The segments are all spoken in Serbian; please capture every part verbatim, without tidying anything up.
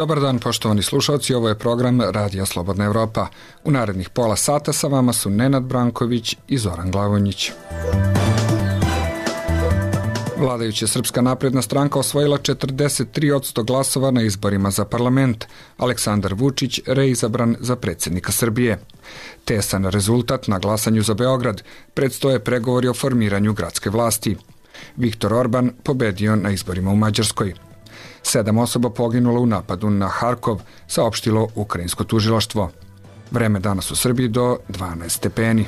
Dobar dan, poštovani slušalci, ovo je program Radija Slobodna Evropa. U narednih pola sata sa vama su Nenad Branković i Zoran Glavonjić. Vladajuća Srpska napredna stranka osvojila četrdeset tri posto glasova na izborima za parlament. Aleksandar Vučić reizabran za predsjednika Srbije. Tesan rezultat na glasanju za Beograd. Predstoje pregovori o formiranju gradske vlasti. Viktor Orban pobedio na izborima u Mađarskoj. Sedam osoba poginulo u napadu na Harkov, saopštilo ukrajinsko tužilaštvo. Vreme danas u Srbiji do dvanaest stepeni.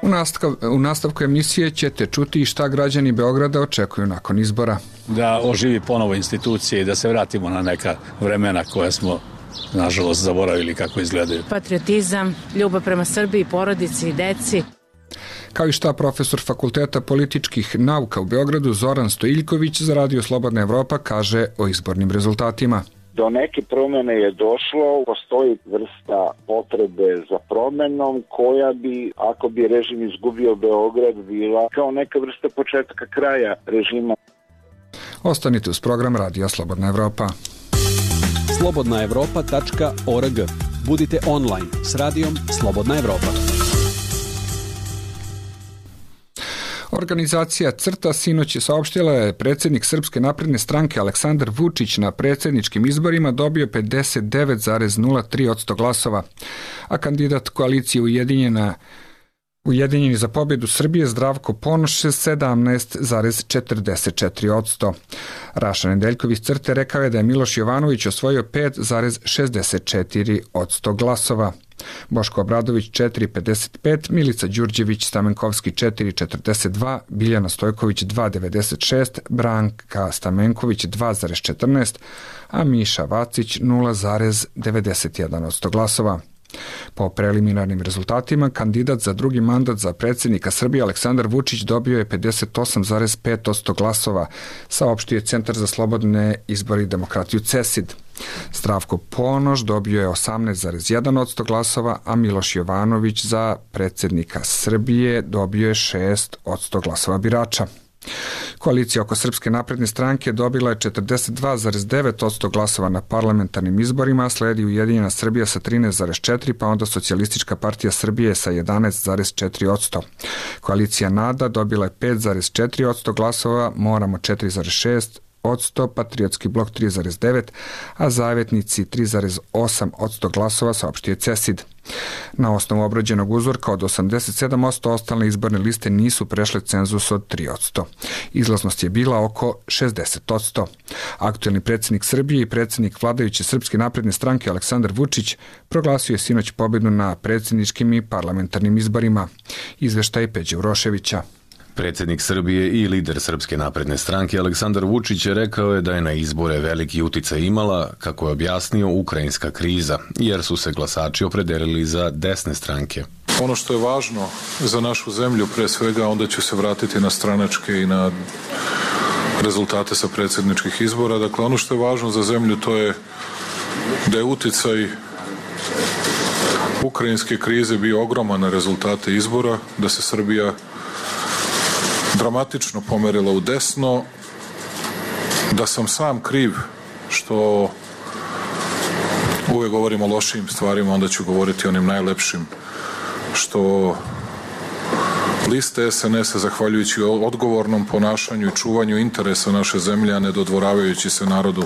U, nastav, u nastavku emisije ćete čuti šta građani Beograda očekuju nakon izbora. Da oživi ponovo institucije i da se vratimo na neka vremena koja smo, nažalost, zaboravili kako izgledaju. Patriotizam, ljubav prema Srbiji, porodici i deci. Kao i šta profesor Fakulteta političkih nauka u Beogradu Zoran Stojiljković za Radio Slobodna Evropa kaže o izbornim rezultatima. Do neke promjene je došlo, postoji vrsta potrebe za promjenom koja bi, ako bi režim izgubio Beograd, bila kao neka vrsta početka kraja režima. Ostanite uz program Radija Slobodna Evropa. slobodna evropa tačka org. Budite online s Radijom Slobodna Evropa. Organizacija CRTA sinoć je saopštila da je predsjednik Srpske napredne stranke Aleksandar Vučić na predsjedničkim izborima dobio pedeset devet zarez nula tri posto glasova, a kandidat koalicije Ujedinjena Ujedinjeni za pobjedu Srbije Zdravko Ponoš sedamnaest zarez četrdeset četiri posto. Raša Nedeljković CRTE rekao je da je Miloš Jovanović osvojio pet zarez šezdeset četiri posto glasova. Boško Obradović četiri zarez pedeset pet, Milica Đurđević Stamenkovski četiri zarez četrdeset dva, Biljana Stojković dva zarez devedeset šest, Branka Stamenković dva zarez četrnaest, a Miša Vacić nula zarez devedeset jedan posto glasova. Po preliminarnim rezultatima, kandidat za drugi mandat za predsjednika Srbije Aleksandar Vučić dobio je pedeset osam zarez pet posto glasova, saopštio je Centar za slobodne izbore i demokratiju CESID. Zdravko Ponoš dobio je osamnaest zarez jedan posto glasova, a Miloš Jovanović za predsjednika Srbije dobio je šest posto glasova birača. Koalicija oko Srpske napredne stranke dobila je četrdeset dva zarez devet posto glasova na parlamentarnim izborima, sledi Ujedinjena Srbija sa trinaest zarez četiri, pa onda Socijalistička partija Srbije sa jedanaest zarez četiri posto. Koalicija NADA dobila je pet zarez četiri posto glasova, Moramo četiri zarez šest posto, Patriotski blok tri zarez devet, a Zavetnici tri zarez osam posto glasova, saopštio CESID. Na osnovu obrađenog uzorka od osamdeset sedam posto ostale izborne liste nisu prešle cenzus od tri posto. Izlaznost je bila oko šezdeset posto. Aktuelni predsjednik Srbije i predsjednik vladajuće Srpske napredne stranke Aleksandar Vučić proglasio je sinoć pobjedu na predsjedničkim i parlamentarnim izborima. Izveštaj Peđe Uroševića. Predsjednik Srbije i lider Srpske napredne stranke Aleksandar Vučić je rekao je da je na izbore veliki uticaj imala, kako je objasnio, ukrajinska kriza, jer su se glasači opredelili za desne stranke. Ono što je važno za našu zemlju, pre svega, onda ću se vratiti na stranačke i na rezultate sa predsjedničkih izbora. Dakle, ono što je važno za zemlju, to je da je uticaj ukrajinske krize bio ogroman na rezultate izbora, da se Srbija dramatično pomerila u desno, da sam sam kriv što uvek govorim o lošim stvarima, onda ću govoriti o onim najlepšim, što liste es en es-a, zahvaljujući odgovornom ponašanju i čuvanju interesa naše zemlje, a ne dodvoravajući se narodu,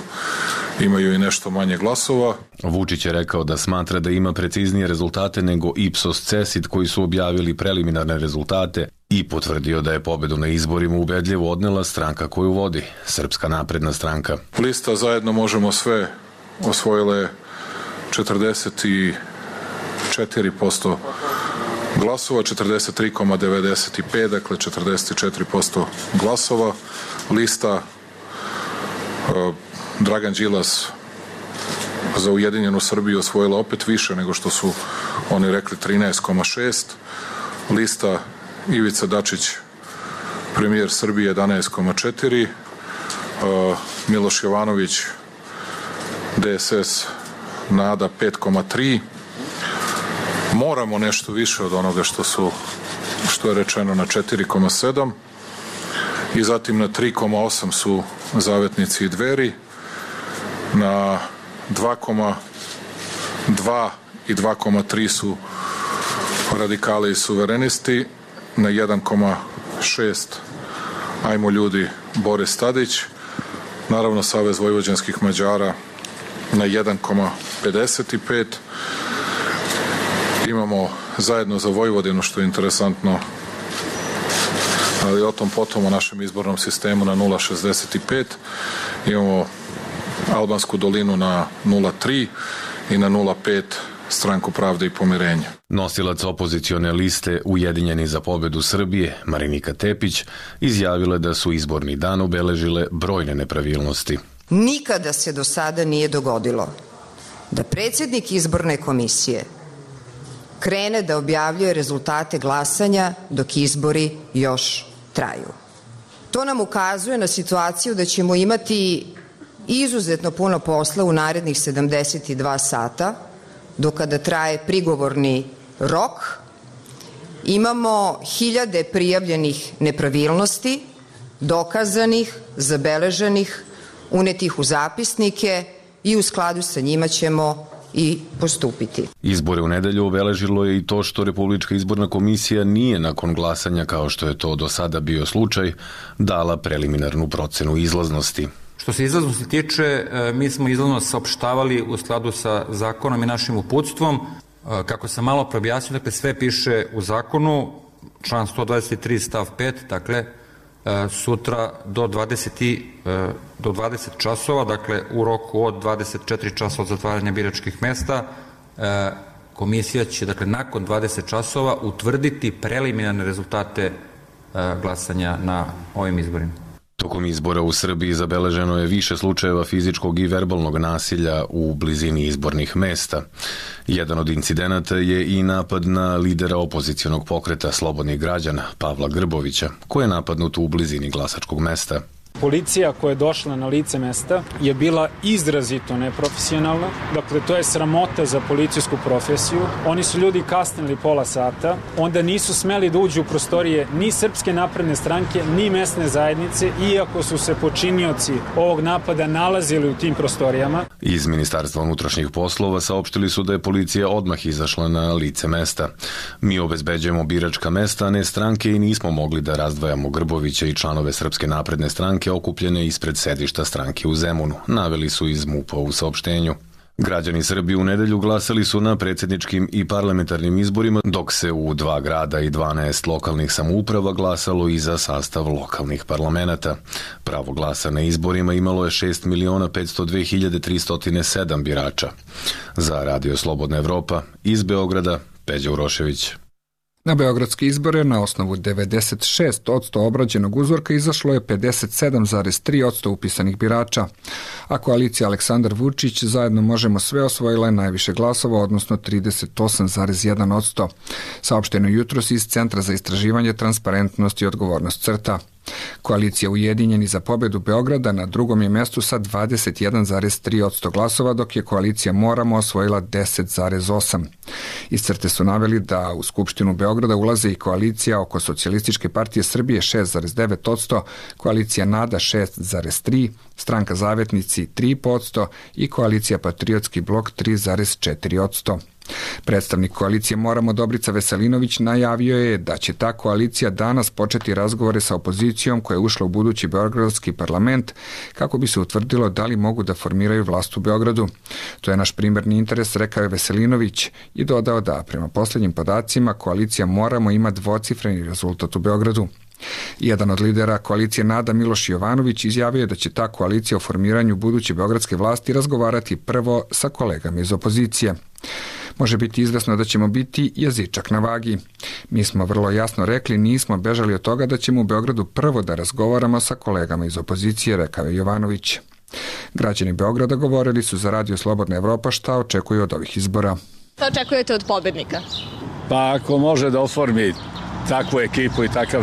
imaju i nešto manje glasova. Vučić je rekao da smatra da ima preciznije rezultate nego Ipsos CESID koji su objavili preliminarne rezultate i potvrdio da je pobedu na izborima ubedljivo odnela stranka koju vodi, Srpska napredna stranka. Lista Zajedno možemo sve osvojile četrdeset četiri posto glasova, četrdeset tri zarez devedeset pet, dakle četrdeset četiri posto glasova. Lista uh, Dragan Đilas za Ujedinjenu Srbiju osvojila opet više nego što su oni rekli, trinaest zarez šest. Lista Ivica Dačić, premijer Srbije, jedanaest zarez četiri. Uh, Miloš Jovanović, de es es, NADA, pet zarez tri. Moramo nešto više od onoga što su što je rečeno na četiri zarez sedam i zatim na tri zarez osam su Zavetnici i Dveri, na dva zarez dva i dva zarez tri su Radikali i Suverenisti, na jedan zarez šest Ajmo ljudi Boris Tadić, naravno Savez vojvođanskih Mađara na jedan zarez pedeset pet. Imamo Zajedno za Vojvodinu, što je interesantno, ali o tom potom o našem izbornom sistemu na nula zarez šezdeset pet. Imamo Albansku dolinu na nula zarez tri i na nula zarez pet Stranku pravde i pomirenja. Nosilac opozicione liste Ujedinjeni za pobedu Srbije, Marinika Tepić, izjavila je da su izborni dan obeležile brojne nepravilnosti. Nikada se do sada nije dogodilo da predsjednik izborne komisije krene da objavljuje rezultate glasanja dok izbori još traju. To nam ukazuje na situaciju da ćemo imati izuzetno puno posla u narednih sedamdeset dva sata, do kada traje prigovorni rok. Imamo hiljade prijavljenih nepravilnosti, dokazanih, zabeleženih, unetih u zapisnike i u skladu sa njima ćemo i postupiti. Izbore u nedelju obeležilo je i to što Republička izborna komisija nije nakon glasanja, kao što je to do sada bio slučaj, dala preliminarnu procenu izlaznosti. Što se izlaznosti tiče, mi smo izlaznost saopštavali u skladu sa zakonom i našim uputstvom. Kako sam malo preobjasnio, dakle sve piše u zakonu, član sto dvadeset tri stav pet, dakle sutra do dvadeset, do dvadeset časova, dakle u roku od dvadeset četiri časa od zatvaranja biračkih mesta, komisija će, dakle nakon dvadeset časova, utvrditi preliminarne rezultate glasanja na ovim izborima. Tokom izbora u Srbiji zabeleženo je više slučajeva fizičkog i verbalnog nasilja u blizini izbornih mesta. Jedan od incidenata je i napad na lidera opozicionog pokreta Slobodnih građana, Pavla Grbovića, koji je napadnut u blizini glasačkog mesta. Policija koja je došla na lice mesta je bila izrazito neprofesionalna. Dakle, to je sramota za policijsku profesiju. Oni su ljudi kasnili pola sata, onda nisu smeli da uđu u prostorije ni Srpske napredne stranke, ni mesne zajednice, iako su se počinioci ovog napada nalazili u tim prostorijama. Iz Ministarstva unutrašnjih poslova saopštili su da je policija odmah izašla na lice mesta. Mi obezbeđujemo biračka mesta, a ne stranke, i nismo mogli da razdvajamo Grbovića i članove Srpske napredne stranke okupljene ispred sedišta stranke u Zemunu, naveli su iz MUP-a u saopštenju. Građani Srbije u nedelju glasali su na predsjedničkim i parlamentarnim izborima, dok se u dva grada i dvanaest lokalnih samouprava glasalo i za sastav lokalnih parlamenata. Pravo glasa na izborima imalo je šest miliona petsto dve hiljade tristo sedam birača. Za Radio Slobodna Evropa, iz Beograda, Peđa Urošević. Na beogradske izbore na osnovu devedeset šest posto obrađenog uzorka izašlo je pedeset sedam zarez tri posto upisanih birača, a koalicija Aleksandar Vučić Zajedno možemo sve osvojila je najviše glasova, odnosno trideset osam zarez jedan posto. Saopšteno jutros iz Centra za istraživanje, transparentnost i odgovornost CRTA. Koalicija Ujedinjeni za pobedu Beograda na drugom je mestu sa dvadeset jedan zarez tri posto glasova, dok je koalicija Moramo osvojila deset zarez osam. Iz CRTE su naveli da u Skupštinu Beograda ulaze i koalicija oko Socijalističke partije Srbije šest zarez devet posto, koalicija Nada šest zarez tri posto, Stranka Zavetnici tri posto i koalicija Patriotski blok tri zarez četiri posto. Predstavnik koalicije Moramo Dobrica Veselinović najavio je da će ta koalicija danas početi razgovore sa opozicijom koja je ušla u budući beogradski parlament kako bi se utvrdilo da li mogu da formiraju vlast u Beogradu. To je naš primarni interes, rekao je Veselinović i dodao da prema posljednjim podacima koalicija Moramo ima dvocifreni rezultat u Beogradu. Jedan od lidera koalicije Nada, Miloš Jovanović, izjavio je da će ta koalicija o formiranju buduće beogradske vlasti razgovarati prvo sa kolegama iz opozicije. Može biti izvesno da ćemo biti jezičak na vagi. Mi smo vrlo jasno rekli, nismo bežali od toga da ćemo u Beogradu prvo da razgovaramo sa kolegama iz opozicije, rekao je Jovanović. Građani Beograda govorili su za Radio Slobodna Evropa šta očekuju od ovih izbora. Šta očekujete od pobednika? Pa ako može da oformi takvu ekipu i takav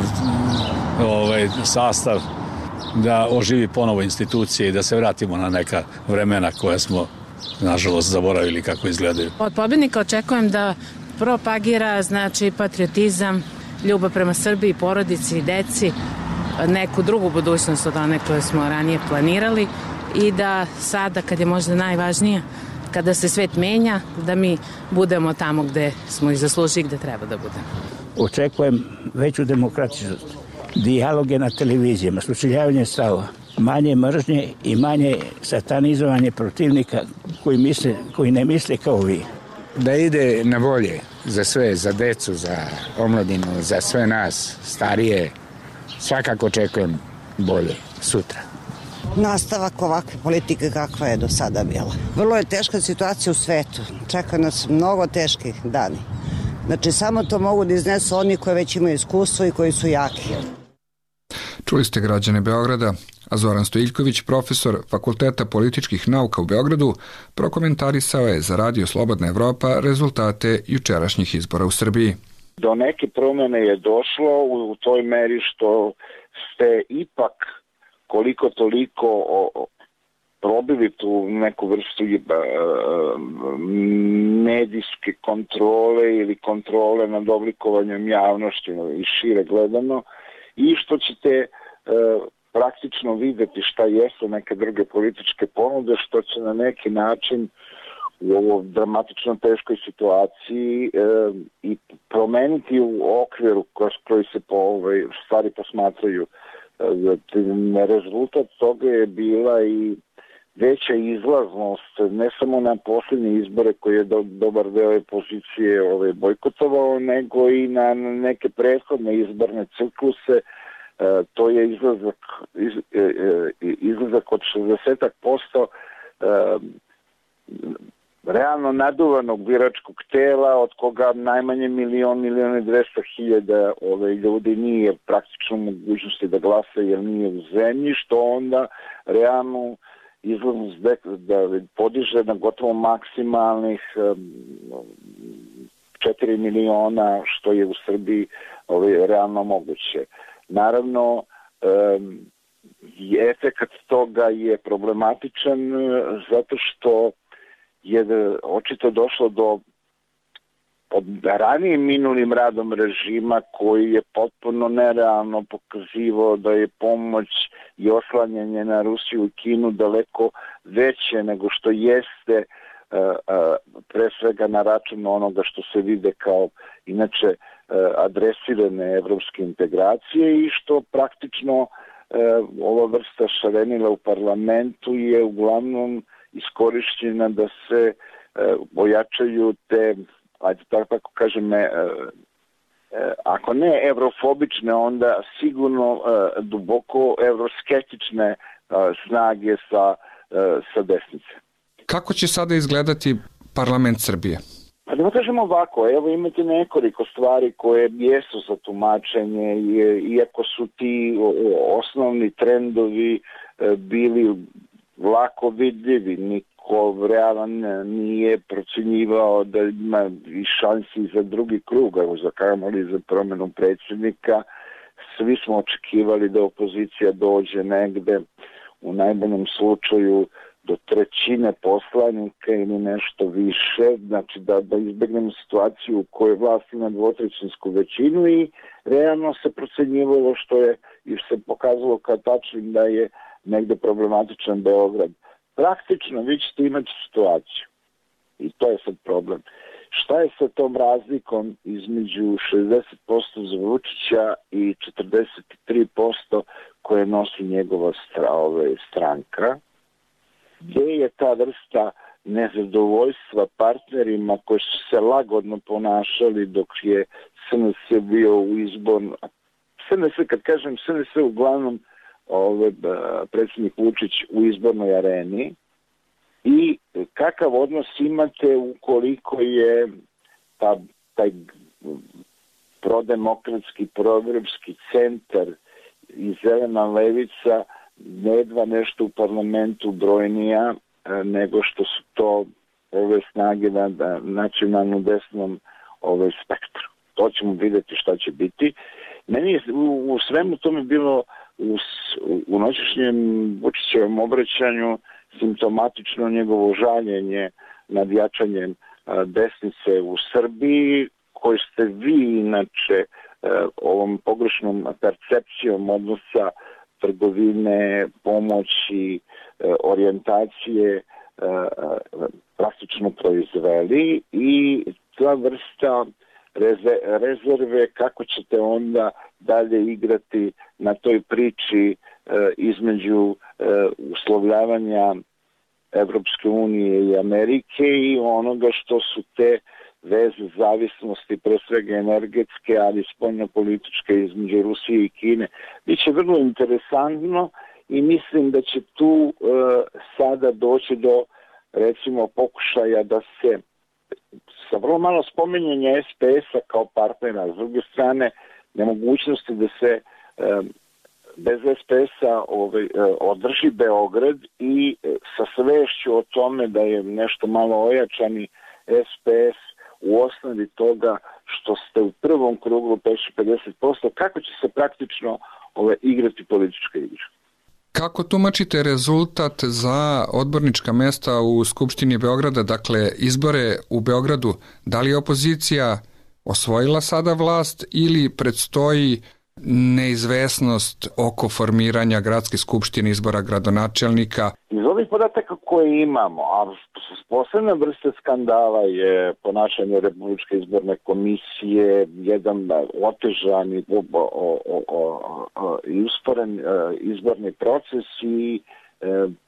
ovaj, sastav, da oživi ponovo institucije i da se vratimo na neka vremena koja smo, nažalost, zaboravili kako izgledaju. Od pobednika očekujem da propagira, znači, patriotizam, ljubav prema Srbiji, porodici, deci, neku drugu budućnost od one koje smo ranije planirali i da sada, kad je možda najvažnije, kada se svet menja, da mi budemo tamo gde smo i zaslužili, gde treba da budemo. Očekujem veću demokratičnost, dijaloge na televizijama, sučeljavanje stavova, manje mržnje i manje satanizovanje protivnika koji, misle, koji ne misle kao vi. Da ide na bolje za sve, za decu, za omladinu, za sve nas, starije. Svakako očekujem bolje sutra. Nastavak ovakve politike kakva je do sada bila. Vrlo je teška situacija u svetu. Čeka nas mnogo teški dani. Znači, samo to mogu da iznesu oni koji već imaju iskustvo i koji su jaki. Čuli ste građane Beograda, a Zoran Stojiljković, profesor Fakulteta političkih nauka u Beogradu, prokomentarisao je za Radio Slobodna Evropa rezultate jučerašnjih izbora u Srbiji. Do neke promene je došlo u toj meri što ste ipak koliko toliko probili tu neku vrstu medijske kontrole ili kontrole nad oblikovanjem javnošću i šire gledano i što ćete praktično videti šta jesu neke druge političke ponude, što će na neki način u ovoj dramatično teškoj situaciji e, i promeniti u okviru kroz koji se po ovaj, stvari posmatraju. E, rezultat toga je bila i veća izlaznost, ne samo na posljednje izbore koje je do, dobar deo opozicije ovaj, bojkotovao, nego i na neke prethodne izborne cikluse. E, to je izlazak, iz, e, e, izlazak od šezdeset posto e, realno naduvanog biračkog tela, od koga najmanje milion, milion i dvesta hiljada ove ljudi nije praktično mogućnosti da glasa jer nije u zemlji, što onda realno izlaznost da podiže na gotovo maksimalnih četiri miliona, što je u Srbiji ove, realno moguće. Naravno, efekat toga je problematičan zato što je očito došlo do pod ranijim minulim radom režima koji je potpuno nerealno pokazivao da je pomoć i oslanjanje na Rusiju i Kinu daleko veće nego što jeste pre svega na račun onoga što se vide kao inače adresirane evropske integracije i što praktično ova vrsta šarenila u parlamentu je uglavnom iskorišćena da se ojačaju te, ajde tako kažem, ako ne evrofobične, onda sigurno duboko evroskeptične snage sa, sa desnice. Kako će sada izgledati parlament Srbije? Pa da kažemo ovako, evo imate nekoliko stvari koje jesu za tumačenje, iako su ti osnovni trendovi bili lako vidljivi, niko realan nije procenjivao da ima i šansi za drugi krug, evo za kamoli za promenu predsjednika. Svi smo očekivali da opozicija dođe negde u najboljem slučaju do trećine poslanika ili nešto više, znači da, da izbegnemo situaciju u kojoj vlast ima dvotrećinsku većinu i realno se procenjivalo što je i se pokazalo kao tačnim da je negde problematičan Beograd. Praktično vi ćete imati situaciju i to je sad problem. Šta je sa tom razlikom između šezdeset posto za Vučića i četrdeset tri posto koje nosi njegova stranka? Gde je ta vrsta nezadovoljstva partnerima koji su se lagodno ponašali dok je S N S bio u izbornom... S N S, kad kažem S N S, uglavnom ove, predsjednik Vučić u izbornoj areni i kakav odnos imate ukoliko je ta, taj prodemokratski, proevropski centar i zelena levica nedva nešto u parlamentu brojnija nego što su to ove snage na, na nacionalno desnom ove spektru. To ćemo vidjeti šta će biti. Meni je u, u svemu tome bilo u, u noćešnjem Vučićevom obraćanju simptomatično njegovo žaljenje nad jačanjem a, desnice u Srbiji, koje ste vi inače ovom pogrešnom percepcijom odnosa trgovine, pomoći, orijentacije plastično proizveli i ta vrsta rezerve kako ćete onda dalje igrati na toj priči između uslovljavanja Evropske unije i Amerike i onoga što su te veze zavisnosti, pre svega energetske, ali spoljno-političke između Rusije i Kine. Biće vrlo interesantno i mislim da će tu e, sada doći do, recimo, pokušaja da se sa vrlo malo spominjanja es pe es-a kao partnera, s druge strane nemogućnosti da se e, bez es pe es-a ovaj, održi Beograd i sa svešću o tome da je nešto malo ojačani es pe es u osnovi toga što ste u prvom krugu prešli pedeset posto, kako će se praktično ovaj, igrati politička igra. Kako tumačite rezultat za odbornička mesta u Skupštini Beograda, dakle izbore u Beogradu? Da li je opozicija osvojila sada vlast ili predstoji neizvesnost oko formiranja gradske skupštine, izbora gradonačelnika? Iz ovih podataka koje imamo, a posebna vrsta skandala je ponašanje Republičke izborne komisije, jedan otežani i usporen izborni proces i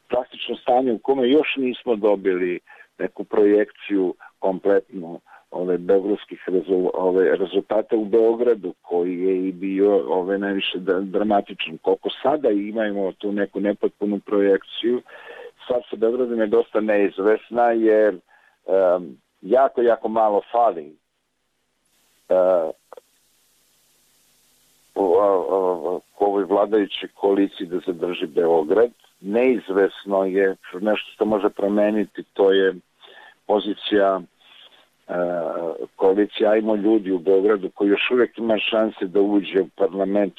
plastično stanje u kome još nismo dobili neku projekciju kompletnu ove beogradskih rezul, ove rezultate u Beogradu koji je i bio ove najviše dramatičan. Koliko sada imamo tu neku nepotpunu projekciju, sad sa Beogradom je dosta neizvesna jer um, jako, jako malo fali uh, u, u, u ovoj vladajućoj koaliciji da zadrži Beograd. Neizvesno je nešto što može promeniti, to je pozicija koalicija Ajmo ljudi u Beogradu koji još uvijek ima šanse da uđe u parlament,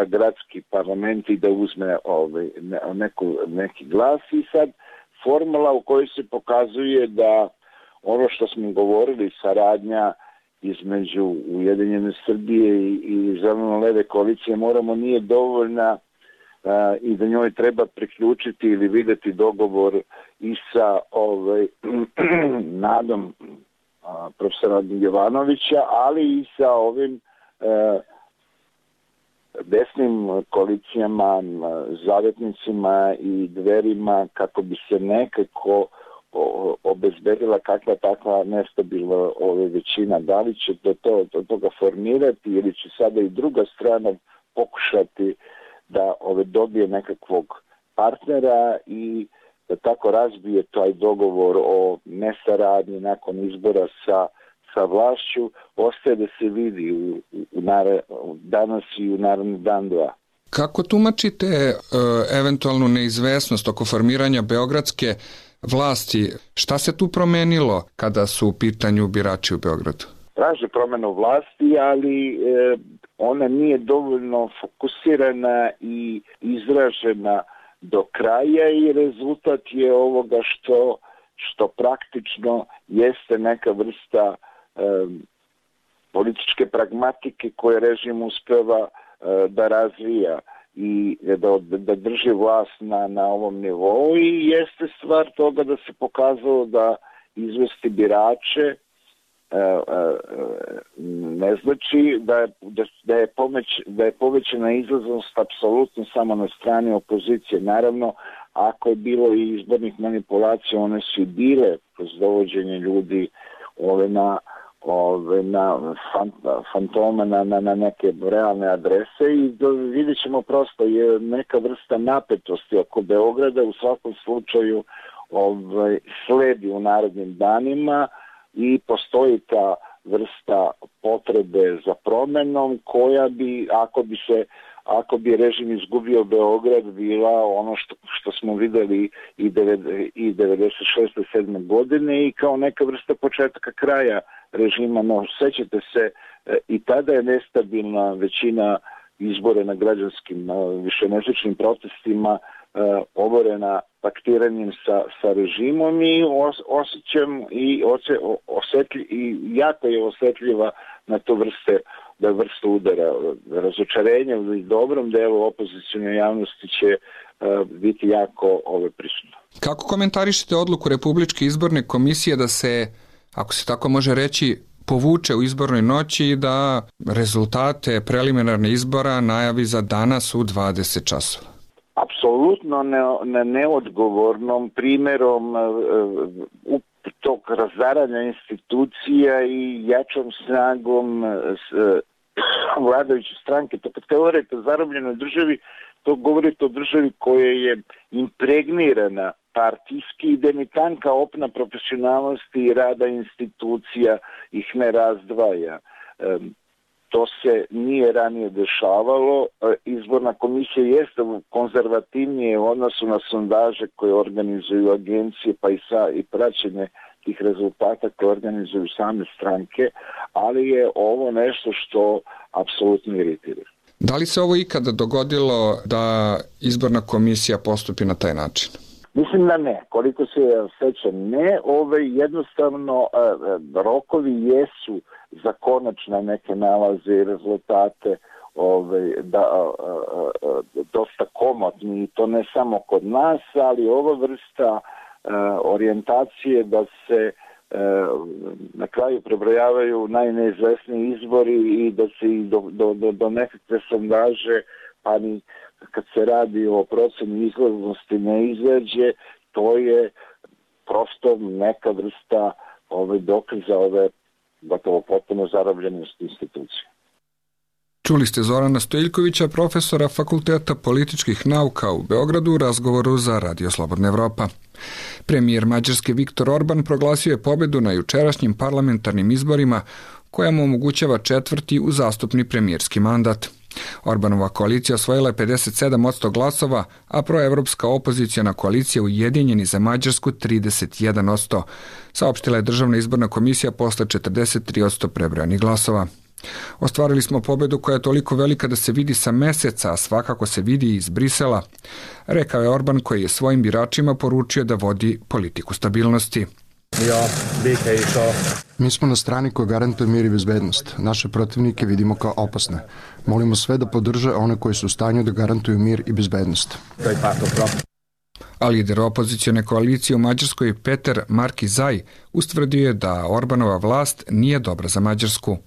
gradski parlament i da uzme ovaj, neku, neki glas i sad formula u kojoj se pokazuje da ono što smo govorili, saradnja između Ujedinjene Srbije i, i zeleno-leve koalicije moramo nije dovoljna Uh, i da njoj treba priključiti ili videti dogovor i sa ovaj, nadom uh, profesora Jovanovića, ali i sa ovim uh, desnim koalicijama, uh, zavetnicima i dverima kako bi se nekako o, obezbedila kakva takva nestabilna ove većina. Da li će do, to, do toga formirati ili će sada i druga strana pokušati da ove dobije nekakvog partnera i da tako razbije taj dogovor o nesaradnji nakon izbora sa, sa vlašću, ostaje da se vidi u, u nare, danas i u naredni dan dva. Kako tumačite e, eventualnu neizvesnost oko formiranja beogradske vlasti? Šta se tu promenilo kada su u pitanju birači u Beogradu? Traže promenu vlasti, ali e, ona nije dovoljno fokusirana i izražena do kraja i rezultat je ovoga što, što praktično jeste neka vrsta e, političke pragmatike koje režim uspeva e, da razvija i da, da drži vlast na, na ovom nivou i jeste stvar toga da se pokazalo da izvesti birače ne znači da, da, da, je, pomeć, da je povećana izlaznost apsolutno samo na strani opozicije. Naravno, ako je bilo i izbornih manipulacija, one su i bile kroz dovođenje ljudi ove na, ove na fantoma, na, na, na neke realne adrese i do, vidjet ćemo prosto je neka vrsta napetosti oko Beograda u svakom slučaju ovaj, sledi u narednim danima i postoji ta vrsta potrebe za promenom koja bi, ako bi se ako bi režim izgubio Beograd, bila ono što, što smo videli i, i devedeset šeste sedme godine i kao neka vrsta početka kraja režima. No, sećate se, i tada je nestabilna većina izbore na građanskim višemesečnim protestima oborena paktiranjem sa, sa režimom i os, osjećam i, ose, osetlj, i jako je osetljiva na to vrste da vrsta udara razočarenja u dobrom delu opozicijne javnosti će uh, biti jako ove prisutno. Kako komentarišete odluku Republičke izborne komisije da se, ako se tako može reći, povuče u izbornoj noći i da rezultate preliminarne izbora najavi za danas u dvadeset časova? Apsolutno ne, ne, neodgovornom primjerom uh, tog razaranja institucija i jačom snagom uh, vladajuće stranke. To kad govorite o zarobljenoj državi, to govorite o državi koja je impregnirana partijski i demitanka opna profesionalnosti i rada institucija ih ne razdvaja. Um, to se nije ranije dešavalo. Izborna komisija jeste konzervativnije u odnosu na sondaže koje organizuju agencije pa i, sa, i praćenje tih rezultata koje organizuju same stranke, ali je ovo nešto što apsolutno iritira. Da li se ovo ikada dogodilo da izborna komisija postupi na taj način? Mislim da ne. Koliko se sećam, ne. Ove jednostavno rokovi jesu za konačne neke nalaze i rezultate ove, da, a, a, a, dosta komotni i to ne samo kod nas, ali ova vrsta a, orijentacije da se a, na kraju prebrojavaju najneizvesniji izbori i da se i do, do, do, do nekakve sondaže, pa ni kad se radi o proceni izlaznosti ne izađe, to je prosto neka vrsta ove dokaza ove gotovo potpuno zarobljenosti institucije. Čuli ste Zorana Stojiljkovića, profesora Fakulteta političkih nauka u Beogradu u razgovoru za Radio Slobodna Evropa. Premijer Mađarske Viktor Orban proglasio je pobedu na jučerašnjim parlamentarnim izborima koja mu omogućava četvrti uzastopni premijerski mandat. Orbanova koalicija osvojila je pedeset sedam posto glasova, a proevropska opozicijona koalicija Ujedinjeni za Mađarsku trideset jedan posto. Saopštila je Državna izborna komisija posle četrdeset tri posto prebrojanih glasova. Ostvarili smo pobedu koja je toliko velika da se vidi sa meseca, a svakako se vidi iz Brisela, rekao je Orban koji je svojim biračima poručio da vodi politiku stabilnosti. Mi smo na strani koja garantuje mir i bezbednost. Naše protivnike vidimo kao opasne. Molimo sve da podrže one koji su u stanju da garantuju mir i bezbednost. A lider opozicijone koalicije u Mađarskoj Peter Markizaj ustvrdio je da Orbanova vlast nije dobra za Mađarsku.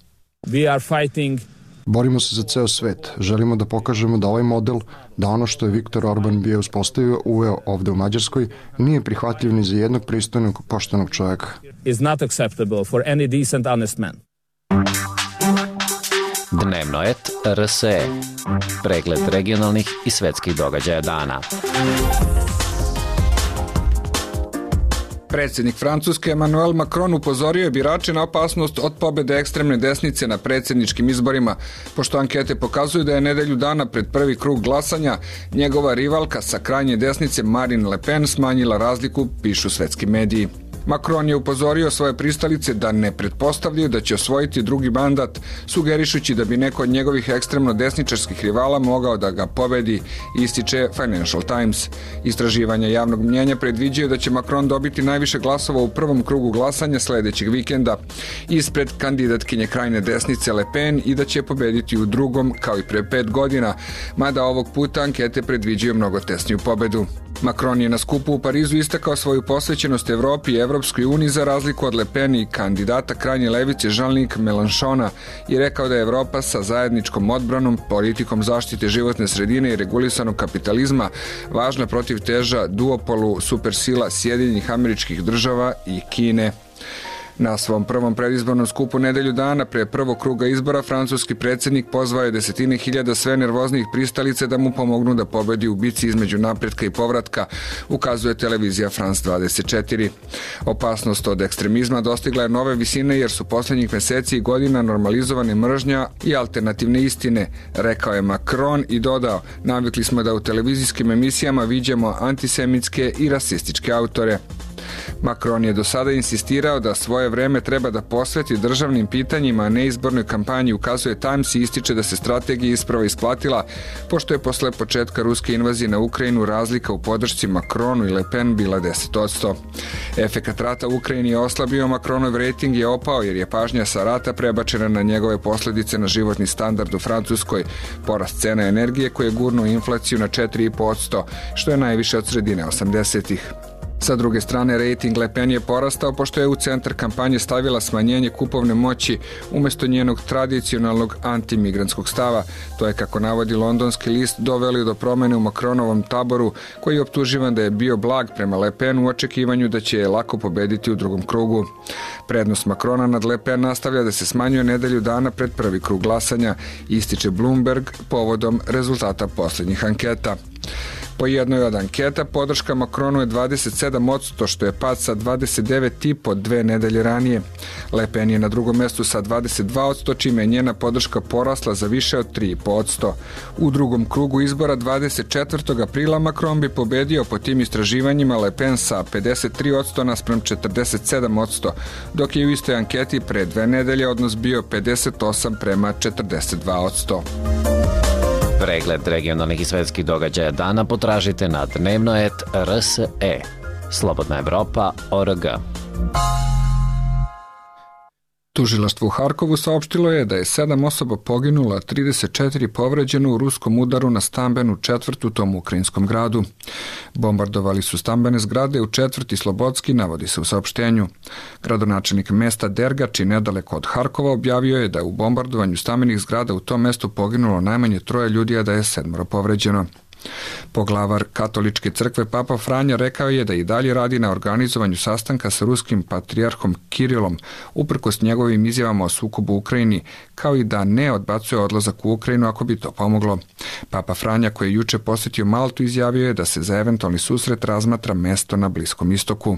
We are fighting. Borimo se za ceo svet. Želimo da pokažemo da ovaj model, da ono što je Viktor Orban bio uspostavio, uveo ovde u Mađarskoj, nije prihvatljiv ni za jednog pristojnog, poštenog čovjeka. Is not acceptable for any decent, honest man. Dnevno et R S E. Pregled regionalnih i svetskih događaja dana. Predsjednik Francuske Emmanuel Macron upozorio je birače na opasnost od pobede ekstremne desnice na predsjedničkim izborima, pošto ankete pokazuju da je nedelju dana pred prvi krug glasanja njegova rivalka sa krajnje desnice Marine Le Pen smanjila razliku, pišu svetski mediji. Macron je upozorio svoje pristalice da ne pretpostavljaju da će osvojiti drugi mandat, sugerišući da bi neko od njegovih ekstremno desničarskih rivala mogao da ga pobedi, ističe Financial Times. Istraživanja javnog mnjenja predviđaju da će Macron dobiti najviše glasova u prvom krugu glasanja sledećeg vikenda, ispred kandidatkinje krajne desnice Le Pen i da će pobediti u drugom kao i pre pet godina, mada ovog puta ankete predviđaju mnogo tesniju pobedu. Macron je na skupu u Parizu istakao svoju posvećenost Evropi i Evropskoj uniji za razliku od Le Pen i kandidata krajnje levice Jean-Luc Mélenchona i rekao da je Evropa sa zajedničkom odbranom, politikom zaštite životne sredine i regulisanog kapitalizma važna protiv teža duopolu supersila Sjedinjenih Američkih Država i Kine. Na svom prvom predizbornom skupu nedelju dana pre prvog kruga izbora francuski predsjednik pozvao je desetine hiljada sve nervoznijih pristalice da mu pomognu da pobedi u bici između napretka i povratka, ukazuje televizija France dvadeset četiri. Opasnost od ekstremizma dostigla je nove visine jer su posljednjih meseci i godina normalizovane mržnja i alternativne istine, rekao je Macron i dodao: navikli smo da u televizijskim emisijama viđamo antisemitske i rasističke autore. Macron je do sada insistirao da svoje vreme treba da posveti državnim pitanjima, a ne izbornoj kampanji, ukazuje Times i ističe da se strategija isprava isplatila, pošto je posle početka ruske invazije na Ukrajinu razlika u podršci Macronu i Le Pen bila deset posto. Efekat rata u Ukrajini je oslabio, Macronov rejting je opao jer je pažnja sa rata prebačena na njegove posledice na životni standard u Francuskoj, porast cena energije koje je gurnuo inflaciju na četiri i po posto, što je najviše od sredine osamdesetih. Sa druge strane, rejting Le Pen je porastao pošto je u centar kampanje stavila smanjenje kupovne moći umesto njenog tradicionalnog antimigrantskog stava. To je, kako navodi londonski list, doveli do promene u Macronovom taboru, koji je optuživan da je bio blag prema Le Pen u očekivanju da će je lako pobediti u drugom krugu. Prednost Macrona nad Le Pen nastavlja da se smanjuje nedelju dana pred prvi krug glasanja, ističe Bloomberg povodom rezultata poslednjih anketa. Po jednoj od anketa podrška Macronu je dvadeset sedam posto, što je pad sa dvadeset devet i po dve nedelje ranije. Le Pen je na drugom mestu sa dvadeset dva posto, čime je njena podrška porasla za više od tri posto. U drugom krugu izbora dvadeset četvrtog aprila Macron bi pobedio po tim istraživanjima Le Pen sa pedeset tri posto naspram četrdeset sedam posto, dok je u istoj anketi pre dve nedelje odnos bio pedeset osam prema četrdeset dva posto. Pregled regionalnih i svetskih događaja dana potražite na dnevnoet R S E. Slobodna Evropa tačka org. Tužilaštvo u Harkovu saopštilo je da je sedam osoba poginulo, a trideset četiri povređeno u ruskom udaru na stambenu četvrt u tom ukrajinskom gradu. Bombardovali su stambene zgrade u četvrti Slobodski, navodi se u saopštenju. Gradonačelnik mesta Dergač, nedaleko od Harkova, objavio je da je u bombardovanju stambenih zgrada u tom mestu poginulo najmanje troje ljudi, a da je sedmoro povređeno. Poglavar Katoličke crkve Papa Franja rekao je da i dalje radi na organizovanju sastanka sa ruskim patrijarhom Kirilom, uprkos njegovim izjavama o sukobu u Ukrajini, kao i da ne odbacuje odlazak u Ukrajinu ako bi to pomoglo. Papa Franja, koji je juče posjetio Maltu, izjavio je da se za eventualni susret razmatra mesto na Bliskom istoku.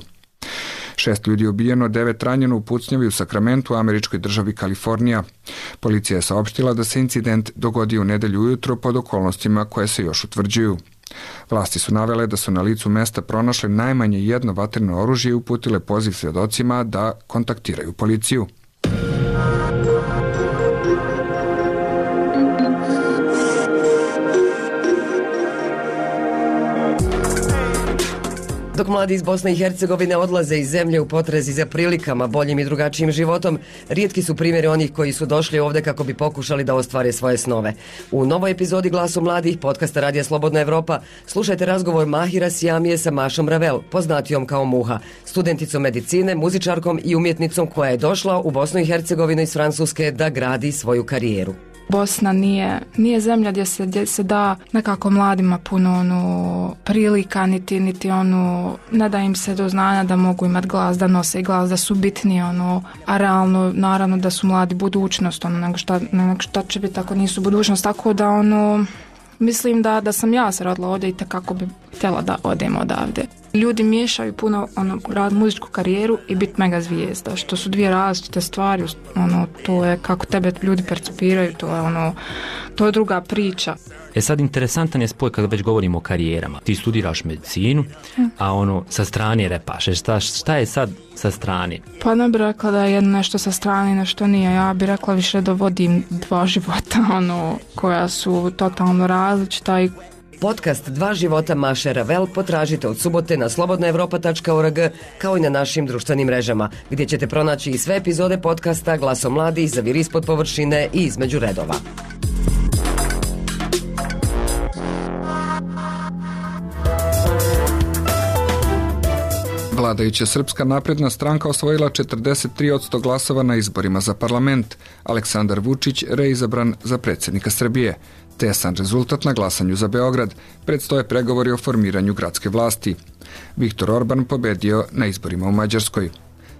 Šest ljudi je ubijeno, devet ranjeno u pucnjavi u Sakramentu, u američkoj državi Kalifornija. Policija je saopštila da se incident dogodio u nedelju ujutro pod okolnostima koje se još utvrđuju. Vlasti su navele da su na licu mesta pronašle najmanje jedno vatreno oružje i uputile poziv svedocima da kontaktiraju policiju. Dok mladi iz Bosne i Hercegovine odlaze iz zemlje u potrezi za prilikama, boljim i drugačijim životom, rijetki su primjeri onih koji su došli ovde kako bi pokušali da ostvare svoje snove. U novoj epizodi Glasu mladih, podcasta Radija Slobodna Evropa, slušajte razgovor Mahira Sijamije sa Mašom Ravel, poznatijom kao Muha, studenticom medicine, muzičarkom i umjetnicom koja je došla u Bosnu i Hercegovinu iz Francuske da gradi svoju karijeru. Bosna nije, nije zemlja gdje se, gdje se da nekako mladima puno onu prilika, niti, niti onu, ne da im se do znanja da mogu imati glas, da nose glas, da su bitni, ono, a realno, naravno da su mladi budućnost, ono, nego šta, nego šta će biti ako nisu budućnost, tako da, ono, mislim da, da sam ja se rodila ovdje i tako bi htjela da odem odavde. Ljudi miješaju puno ono, rad muzičku karijeru i biti mega zvijezda, što su dvije različite stvari, ono, to je kako tebe ljudi percipiraju, to je ono, to je druga priča. E sad, interesantan je spoj kada već govorimo o karijerama. Ti studiraš medicinu, a ono, sa strane repaš. Šta, šta je sad sa strane? Pa ne bih rekla da je jedno nešto sa strane, nešto nije. Ja bih rekla više da vodim dva života, ono, koja su totalno različita i Podcast Dva života Maše Ravel potražite od subote na slobodna evropa tačka org kao i na našim društvenim mrežama, gdje ćete pronaći i sve epizode podcasta Glasom mladih, Zavir ispod površine i Između redova. Vladajuća Srpska napredna stranka osvojila četrdeset tri posto glasova na izborima za parlament. Aleksandar Vučić reizabran za predsjednika Srbije. Tesan rezultat na glasanju za Beograd. Predstoje pregovori o formiranju gradske vlasti. Viktor Orban pobedio na izborima u Mađarskoj.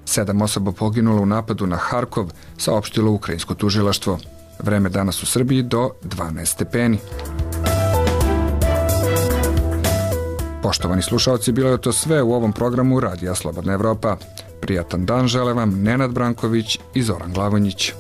Sedam osoba poginulo u napadu na Harkov, saopštilo ukrajinsko tužilaštvo. Vreme danas u Srbiji do dvanaest stepeni. Poštovani slušalci, bilo je to sve u ovom programu Radija Slobodna Evropa. Prijatan dan žele vam Nenad Branković i Zoran Glavonjić.